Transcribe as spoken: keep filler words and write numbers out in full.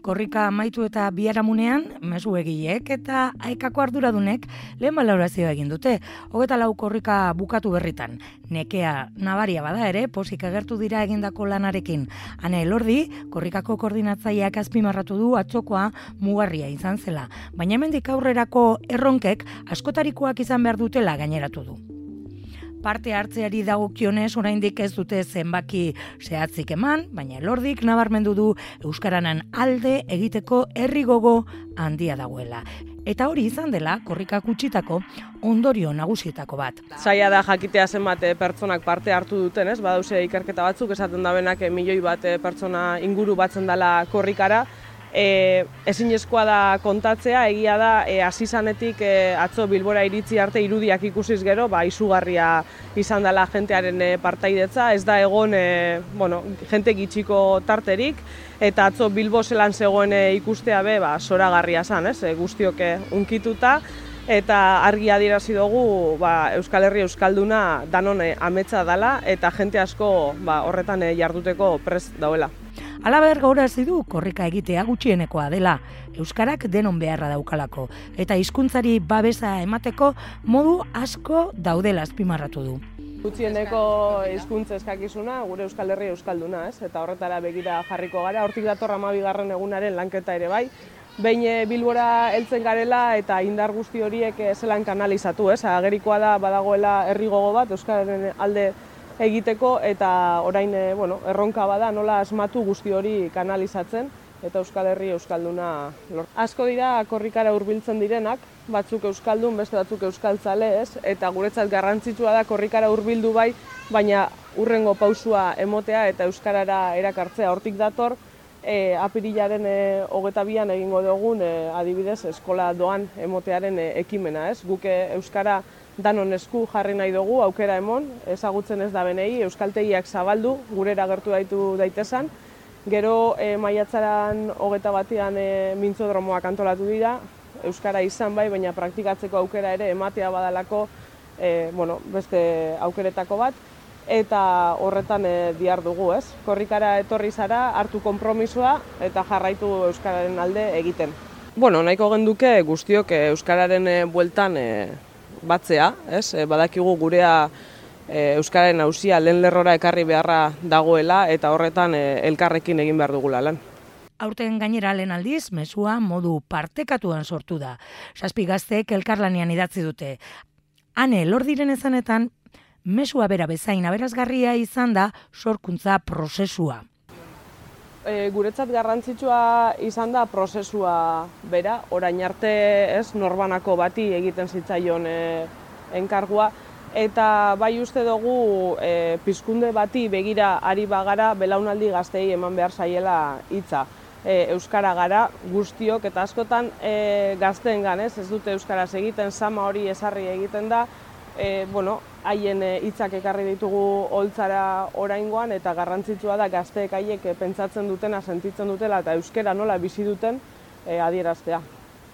Korrika amaitu eta biharamunean, mezu egileek eta aekako arduradunek lehen balorazioa egin dute. Hogeta lau korrika bukatu berritan. Nekea nabaria bada ere, pozik agertu dira egindako lanarekin. Ane Elordi, korrikako koordinatzaileak azpimarratu du atzokoa mugarria izan zela. Baina hemendik aurrerako erronkek askotarikoak izan behar dutela gaineratu du. Parte hartzeari dagokionez oraindik ez dute zenbaki zehatzik eman, baina Elordik nabarmendu du euskaranan alde egiteko herri gogo handia dagoela. Eta hori izan dela korrikak utzitako ondorio nagusietako bat. Zaila da jakitea zenbat pertsonak parte hartu duten, ez? Badauze ikerketa batzuk esaten da benak milioi bat pertsona inguru batzen dela korrikara. E, ezinezkoa da kontatzea, egia da, e, hasi zanetik e, atzo Bilbora iritzi arte irudiak ikusiz gero, ba, izugarria izan dela jentearen e, partaidetza, ez da egon e, bueno, jente gitxiko tarterik, eta atzo Bilbo zelan zegoen e, ikustea be, ba, zoragarria zan, ez, e, guztioke unkituta, eta argi adierazi dugu ba, Euskal Herri Euskalduna danon e, ametsa dela, eta jente asko ba, horretan e, jarduteko prest dauela. Halaber gaurazi du korrika egitea gutxienekoa dela, euskarak denon beharra daukalako, eta hizkuntzari babesa emateko modu asko daudela azpimarratu du. Gutxieneko hizkuntza eskakizuna gure Euskal Herri Euskalduna, ez? Eta horretara begira jarriko gara, hortik dator hamabigarren egunaren lanketa ere bai. Behin Bilbora heltzen garela eta indar guzti horiek zelan kanalizatu, ez? Agerikoa da badagoela herri gogo bat euskararen alde egiteko eta orain bueno, erronka bada nola asmatu guzti hori kanalizatzen eta Euskal Herri Euskalduna lortu. Asko dira korrikara hurbiltzen direnak, batzuk euskaldun, beste batzuk euskaltzale, ez? Eta guretzat garrantzitsua da korrikara hurbildu bai, baina hurrengo pausua emotea eta euskarara erakartzea. Hortik dator, e, apirilaren e, hogeta bian egingo dugun e, adibidez eskola doan emotearen e, ekimena, ez? Guk euskara danon esku jarri nahi dugu, aukera emon, ezagutzen ez da benei, euskaltegiak zabaldu, gurera gertu daitu daitezan. Gero e, maiatzaran hogeta batian e, mintzodromoak antolatu dira, euskara izan bai, baina praktikatzeko aukera ere ematea badalako e, bueno, beste aukeretako bat, eta horretan e, dihar dugu, ez? Korrikara etorri zara, hartu konpromisoa eta jarraitu euskararen alde egiten. Bueno, nahiko genduke guztiok e, euskararen e, bueltan e, batzea, ez? E, badakigu gurea e, euskararen auzia lehen lerrora ekarri beharra dagoela eta horretan e, elkarrekin egin behar dugula lan. Aurten gainera lehen aldiz, mezua modu partekatuan sortu da. Zazpi gazteek elkarlanean idatzi dute. Ane Elordiren esanetan, mezua bera bezain aberasgarria izan da sorkuntza prozesua. E, guretzat garrantzitsua izan da prozesua bera, orain arte ez norbanako bati egiten zitzaion e, enkargua, eta bai uste dugu e, pizkunde bati begira ari bagara belaunaldi gaztei eman behar zaiela hitza. E, euskara gara guztiok eta askotan e, gazteengan ez, ez dute euskaraz egiten, sama hori ezarri egiten da, E, bueno, haien hitzak ekarri ditugu holtzara oraingoan eta garrantzitsua da gazteek haiek pentsatzen dutena, sentitzen dutela eta euskara nola bizi duten e, adieraztea.